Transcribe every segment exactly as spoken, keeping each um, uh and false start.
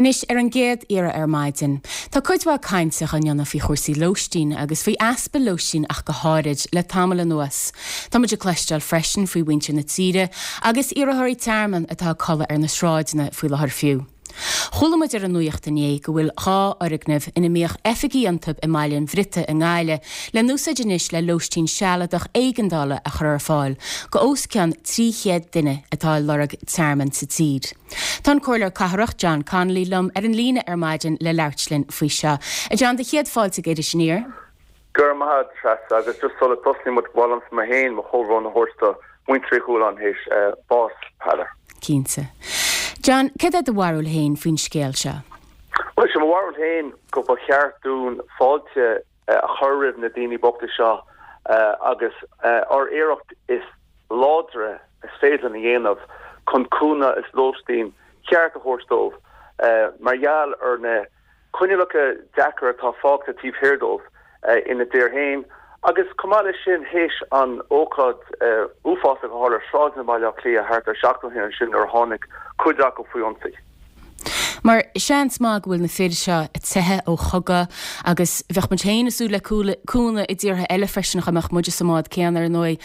Anois ar an gcéad iarraidh ar maidin. Tá cuid mhaith cainte á dhéanamh faoi chúrsaí lóistín agus faoi easpa lóistín ach go háirid le tamall anuas. Tá muid ag cloisteáil freisin faoi mhuintir na tíre agus iarrthóirí tearmainn atá ag codladh ar na sráideanna faoi láthair fiú. Chuala muid ar an nuacht inné go bhfuil dhá fhoirgneamh ina mbíodh oifigí iontu i mBaile an Bhriotaigh i nGaillimh le n-úsáid anois le lóistín sealadach éigeandála a chur ar fáil go os cionn trí chéad duine atá ag lorg tearmann sa tír. Tá an Comhairleoir Cathrach John Connolly liom ar an líne ar maidin le labhairt linn faoi seo. A John do chéad fáilte go Iris Aniar. Go raibh maith agat Treasa agus just sula dtosaíonn muid ba mhaith liomsa mé féin mo chomhbhrón a thabhairt do mhuintir Uí Chualáin théis bás Peadar. Cinnte. John, cad é do bharúil féin faoin scéal seo? Well sé mo bharúil féin go ba cheart dúinn fáilte a chur roimh na daoine bochta seo agus ár iarracht is láidre is féidir a dhéanamh chun cúnamh is lóistín ceart a thabhairt dóibh mar gheall ar na coinníollacha deacair atá fágtha taobh thiar dóibh ina dtír féin agus chomh maith leis sin théis an ócáid uafásach a tharla ar sráideanna Bhaile Átha Cliath thart ar seachtain ó shin ansin nuair a tháinig cuid acu faoi ionsaí. Mar seans maith go bhfuil na fir seo ag teitheadh ó chogadh agus bheadh muid féin ag súil le cúnamh i dtíortha eile freisin dá mbeadh muide sa mbád céanna ar ndóigh.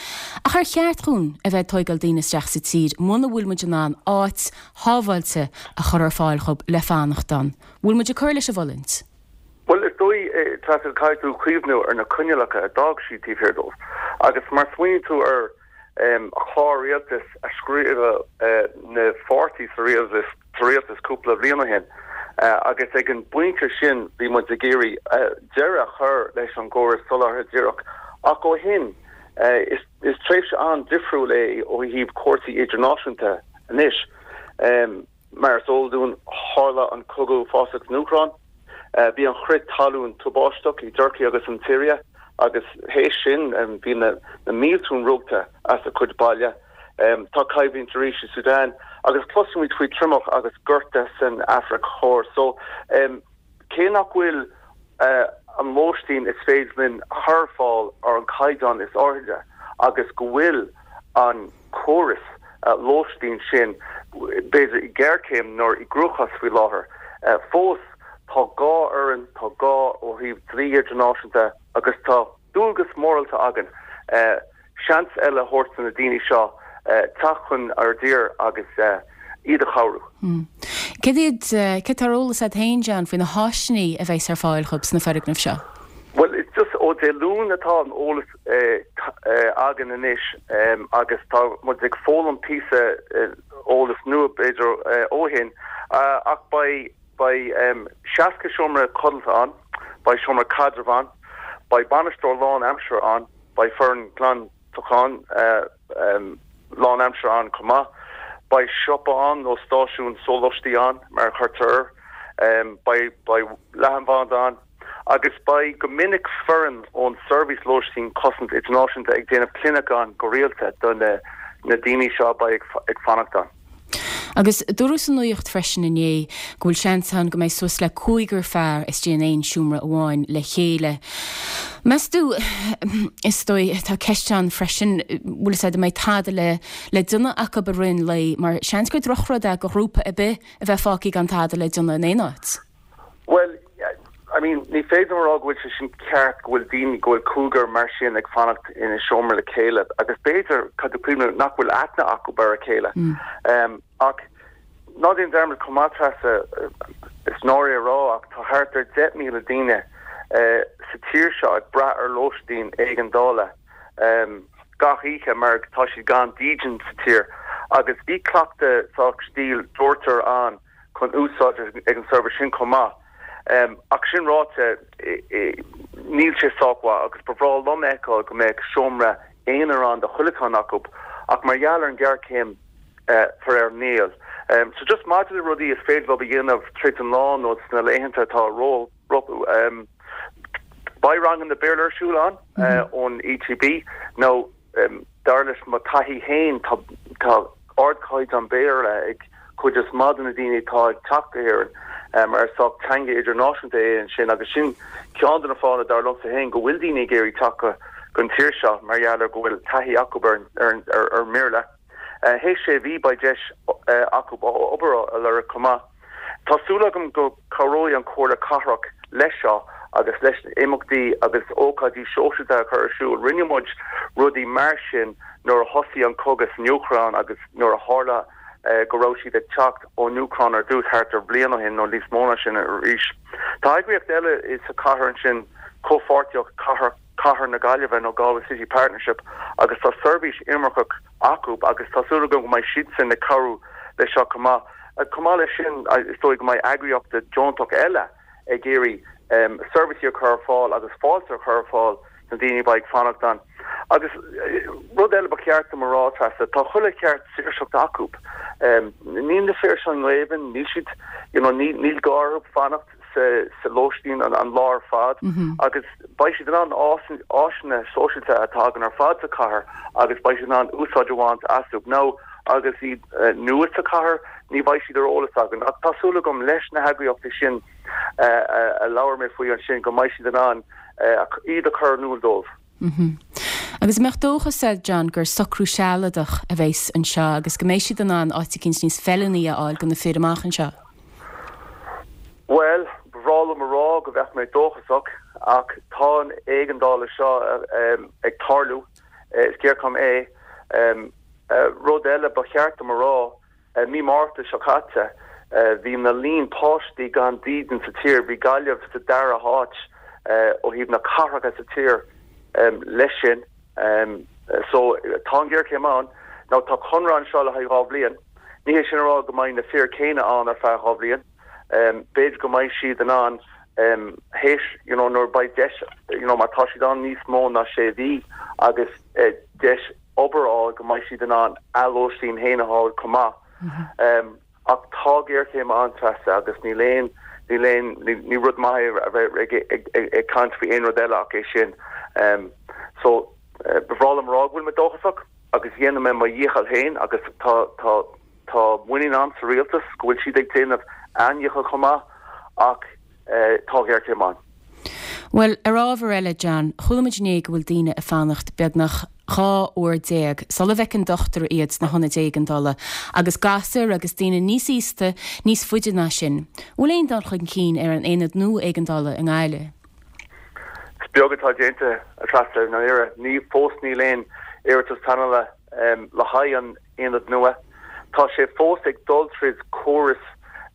Ach ar cheart dhúinn a bheith ag tóigeáil daoine isteach sa tír muna bhfuil muid in ann áit shábháilte a chur ar fáil dhóibh le fanacht ann? Bhfuil muid ag cur leis an bhfulaingt? Bhuel, is dóigh, Treasa, caithfidh tú cuimhniú ar na coinníollacha a d'fhág siad taobh thiar dóibh. Agus má smaoiníonn tú ar chlár rialtais a scríobh na pháirtí sa rialtas, sa rialtas cúpla bliain ó shin, agus ag an bpointe sin bhí muid ag iarraidh deireadh a chur leis an gcóras soláthair dhíreach. Ach ó shin, is is tréimhse an-difriúil é ó thaobh cúrsaí idirnáisiúnta anois. Mar is eol dúinn, tharla an cogadh uafásach san Úcráin. Bhí an crith talún tubaisteach i dTurcaí agus an tSiria agus théis sin bhí na mílte ruaigthe as a cuid baile. Tá coimhlint arís i Sudan agus cloisimid faoi triomach agus gorta san Afraic Thoir. So cé nach bhfuil an lóistín is féidir linn a chur ar fáil ar an caighdeán is airde agus go bhfuil an córas lóistín sin b'fhéidir i géarchéim nó i gcruachás faoi láthair. Fós tá gá orainn, tá gá ó thaobh dlí idirnáisiúnta agus tá dualgas mórálta againn seans eile a thabhairt do na daoine seo teacht chun ár dtír agus iad a chabhrú. Cad iad, cad tá ar eolas agat féin, John, faoi na háiseanna a bheas ar fáil dhóibh sna foirgnimh seo? Bhuel, is just ó Dé Luain atá an eolas againn anois agus tá muid ag foghlaim píosa eolas nua b'fhéidir ó shin ach beidh beidh seasca seomra codlata ann, beidh seomra caidrimh ann, beidh bainisteoir lánaimseartha ann, beidh foireann glantacháin lánaimseartha ann chomh maith, beidh siopa ann nó stáisiún sólaistí ann mar a chuirtear air, beidh beidh leathanbhanda ann. Agus beidh go minic foireann ón Seirbhís Lóistín Cosaint Idirnáisiúnta ag déanamh clinic ann go rialta do na daoine seo a beidh ag fanacht ann. Agus dúradh sa nuacht freisin inné go bhfuil seans ann go mbeidh suas le cúigear fear istigh in aon seomra amháin le chéile. Meas tú, is dóigh, tá ceist ann freisin, bhfuil fhios a'd, an mbeidh tada le le déanamh acu i rith an lae, mar seans gur drochrud é do ghrúpa ar bith a bheith fágtha gan tada le déanamh in aon áit. Bhuel, I mean, ní féidir a rá go bhfuil sé sin ceart go bhfuil daoine, go bhfuil cúigear mar sin ag fanacht ina seomra le chéile agus b'fhéidir, caithfidh tú cuimhneamh, nach bhfuil aithne acu ar a chéile. Ach ná déan dearmad chomh maith, Treasa, is náire a rá ach tá thart ar deich míle daoine sa tír seo ag brath ar lóistín éigeandála gach oíche mar tá siad gan dídean sa tír agus bhí cleachtadh sách stíl dóirtear ann chun úsáid ag an seirbhís sin chomh maith. Ach sin ráite, níl sé sách mhaith agus ba bhreá liom a fheiceáil go mbeadh seomra aonair ann do chuile cheann acu ach mar gheall ar an ghéarchéim, faraor níl. So just maidir le rudaí is féidir leo a dhéanamh tríd an lá nó sna laethanta atá rompu, beidh ranganna Béarla ar siúl ann ón ETB nó Dar leis mo taithí féin, tá ardchaighdeán Béarla ag cuid is maith de na daoine atá ag teacht go hÉirinn mar is sách teanga idirnáisiúnta é ansin agus sin ceann de na fáthanna, dar liomsa féin, go bhfuil daoine ag iarraidh teacht go an tír seo mar gheall ar go bhfuil taithí acu ar an mBéarla. Théis sé mhí beidh deis acu obair a lorg chomh maith. Tá súil agam go cabhróidh an Comhairle Cathrach leis seo agus leis imeachtaí agus ócáidí sóisialta a chur ar siúl. Rinne muid rudaí mar sin nuair a thosaigh an cogadh san Úcráin agus nuair a tharla go raibh siad ag teacht ón Úcráin ar dtús thart ar bhliain ó shin nó níos mó ná sin arís. Tá eagraíocht eile sa chathair ansin Comhpháirtíocht Cathair Cathair na Gaillimhe nó Galway City Partnership agus tá seirbhís imirceach acu agus tá súil agam go mbeidh siadsan ag cabhrú leis seo chomh maith. Chomh maith leis sin is dóigh go mbeidh eagraíochtaí deontacha eile ag iarraidh seirbhísí a chur ar fáil agus fáilte a chur ar fáil na daoine a bheidh ag fanacht ann. Agus rud eile ba cheart dom a rá Treasa, tá chuile cheart saoirseachta acu. Níl na fir seo i ngéibheann, níl siad you know, níl gá orthu fanacht sa, sa lóistín an, an lá ar fad mm -hmm. agus beidh siad in ann áiseanna sóisialta atá againn ar fad sa chathair agus beidh siad in ann úsáid a bhaint astu. Now, agus iad uh, nua sa chathair ní bheidh siad ar eolas againn. Ach tá súil agam leis na heagraíochtaí sin uh, uh, a labhair mé faoi ansin go mbeidh siad in ann uh, iad a chur in iúl dóibh. Mm -hmm. Agus mbeadh dóchas agat John gur socrú sealadach a bheas anseo agus go mbeidh siad in ann áit éicint níos feiliúnaí a fháil do na fir amach anseo. Well, ba bhreá liom a rá go bheadh mé dóchasach ach tá an éigeandáil seo um, ag tarlú is géarchéim é um, uh, rud eile ba cheart dom a rá uh, mí Márta seo caite uh, bhí na líon páistí gan dídean sa tír bhí Gaillimh sa dara háit uh, ó thaobh na cathracha sa tír um, leis sin um, so tá géarchéim ann now tá conradh anseo le haghaidh dhá bhliain ní hé sin rá go mbeidh na fir céanna ann ar feadh dhá bhliain um, b'fhéidir go mbeidh siad in ann um, théis you know, nuair beidh deis you know, má tá siad ann níos mó ná sé mhí agus uh, deis obair á go mbeidh siad in ann a lóistín féin a fháil chomh maith. Mm -hmm. um, ach tá géarchéim ann Treasa agus níl aon níl aon ní rud maith a bheith ag, ag, ag, ag caint faoi aon rud eile ach é sin. Um, so uh, ba bhreá liom rá go bhfuil mé dóchasach agus dhéanfaidh mé mo dhícheall féin agus tá tá tá muinín agam sa rialtas go bhfuil siad ag déanamh a ndícheall chomh maith ach uh, tá géarchéim ann. Well, ar ábhar eile John, chuala muid inné go bhfuil daoine ag fanacht beagnach dhá uair déag, sula bhfeiceann dochtúir iad sna hionaid éigeandála, agus gasúir agus daoine níos aosta níos faide ná sin. Bhfuil aon dul chun cinn ar an aonad nua éigeandála i nGaillimh. Is beag atá déanta a Treasa na ire ní fós níl aon iarratas pleanála um, le haghaidh an aonad nua. Tá sé fós ag dul tríd córas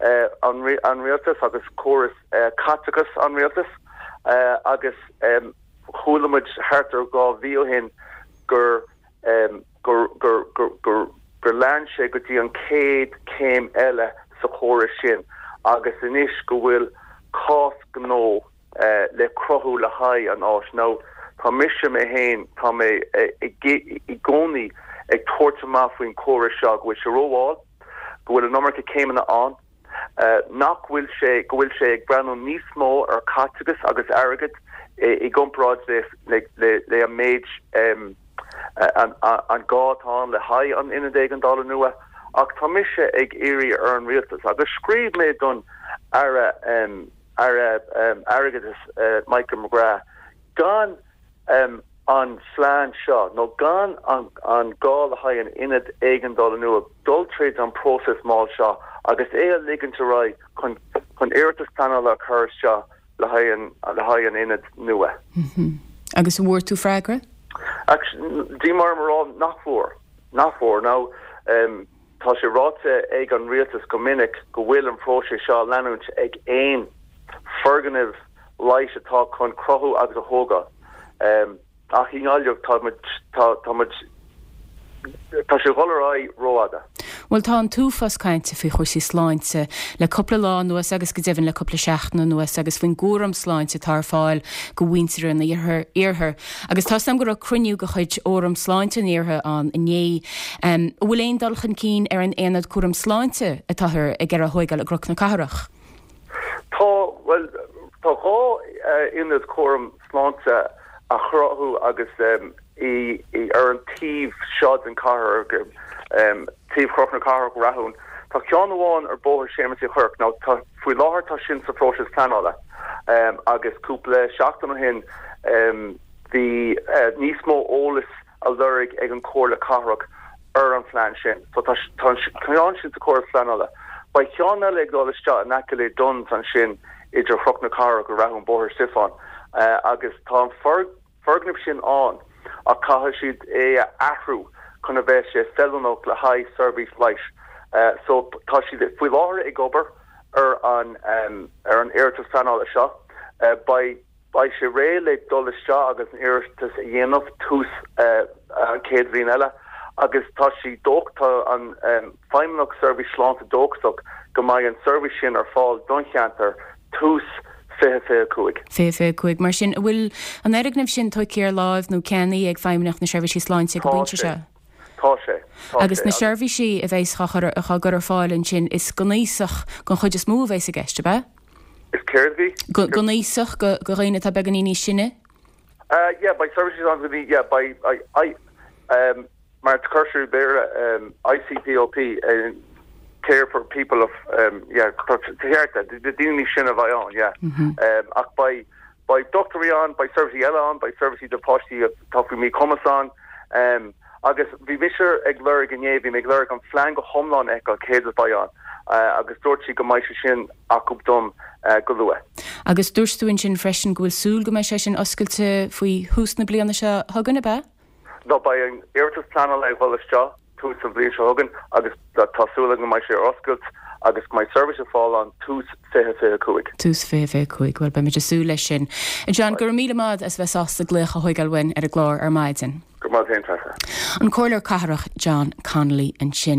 uh, an, an rialtas agus córas uh, caiteachas an rialtas uh, agus um, chuala muid thart ar dhá mhí ó shin gur um, gur gur gur gur gur lean sé go dtí an chéad céim eile sa chóras sin agus anois go bhfuil cás gnó uh, le cruthú le haghaidh an áis now tá mise mé féin tá mé i gcónaí ag tabhairt amach faoin córas seo go bhfuil sé rómhall go bhfuil an iomarca céimeanna ann uh, nach bhfuil sé go bhfuil sé ag breathnú níos mó ar caiteachas agus airgead i gcomparáid le le le, le an méid um, an, an, an gá atá le haghaidh an ionad éigeandála nua ach tá mise ag iarraidh ar an rialtas agus scríobh mé don aire um, aire um, airgeadais uh, Michael McGrath gan um, an phlean seo nó gan an, an gá le haghaidh an ionad éigeandála nua dul tríd an próiseas mall seo agus é a ligean ar aghaidh chun chun iarratas pleanála a chur seo le haghaidh an le haghaidh an ionad nua. Mm -hmm. Agus bhfuair tú freagra? Dí mar rá nach bhfuair nach bhfuair now um, tá sé ráite ag an rialtas go minic go bhfuil an próiseas seo leanúint ag aon foirgneamh leighis atá chun cruthú agus a thógáil. Um, ach i nGaillimh tá tá tá sé dul ar aghaidh rófhada. Well tá an t-uafás cainte faoi chúrsaí sláinte le cúpla lá anuas agus go deimhin le cúpla seachtain anuas agus faoin gcúram sláinte atá ar fáil do mhuintir an iarthair. Agus tá sam go raibh cruinniú de chuid Fhóram Sláinte an Iarthair ann inné. Um, bhfuil aon dul chun cinn ar an aonad cúram sláinte atáthar ag iarraidh a thógáil i gCnoc na Cathrach. Tá well tá dhá ionad cúram sláinte a chruthú agus um, i, i ar an taobh seo den chathair um, taobh Chnoc na Cathrach Rathún. Tá ceann amháin ar Bhóthar Shéamuis Uí Chuirc now faoi láthair tá sin sa phróiseas pleanála um, agus cúpla seachtain ó shin um, bhí uh, níos mó eolas á lorg ag an Chomhairle Cathrach ar an phlean sin. So tá ceann sin sa chóras pleanála. Beidh ceann eile ag dul isteach in aice le Dunnes ansin idir Chnoc na Cathrach go Rathún Bóthar Stiofáin agus tá an foirgneamh sin ann ach caithfidh siad é a athrú chun a bheith sé feiliúnach le haghaidh seirbhís leighis. So tá siad faoi láthair ag obair ar an ar an iarratas pleanála seo. Beidh beidh sé réidh le dul isteach agus an iarratas a dhéanamh tús an chéad bhliain eile agus tá sí dóch tá an Feidhmeannacht Seirbhís Sláinte dóchasach go mbeidh an seirbhís sin ar fáil don cheantar tús fiche fiche cúig. fiche fiche cúig. Mar sin, an bhfuil an fhoirgneamh sin tógtha ar láimh nó ceannaithe ag Feidhmeannacht na Seirbhísí Sláinte ag an bpointe seo? Tá sé. Tá Agus na seirbhísí a bheas á gcur ar fáil ansin, is don aosach den chuid is mó a bheas i gceist, ab ea? Is céard bhí? Don aosach, do dhaoine atá beagáinín níos sine? Uh, yeah, beidh services ann go dtí, yeah, beidh, I, I, um, mar cuirtear Béarla um, ICPOP, uh, care for people of, um, yeah, ceart, daoine sin a bheidh ann, yeah. Mm -hmm. um, ach beidh, beidh dochtúirí ann, beidh seirbhísí eile ann, beidh seirbhísí do pháistí atá faoi mhíchumas ann, um, agus bhí mise ag lorg inné, bhí mé ag lorg an phlean go hiomlán a fheiceáil céard a bheidh ann, uh, agus dúirt sí go mbeidh sé sin acu dom uh, go luath. Agus dúirt tú ansin freisin go bhfuil súil go mbeidh sé sin oscailte faoi thús na bliana seo chugainn, ab ea? No, beidh an iarratas pleanála ag dul isteach tús an bhliain seo chugainn agus tá súil go mbeidh sé ar oscailt agus go mbeidh seirbhís ar fáil ann tús fiche fiche cúig. Tús fiche fiche cúig, bhuel beimid ag súil leis sin. John, go raibh míle maith as bheith sásta glaoch a thógáil uainn ar an gclár ar maidin. Go maith féin, Treasa. An Comhairleoir Cathrach John Connolly ansin.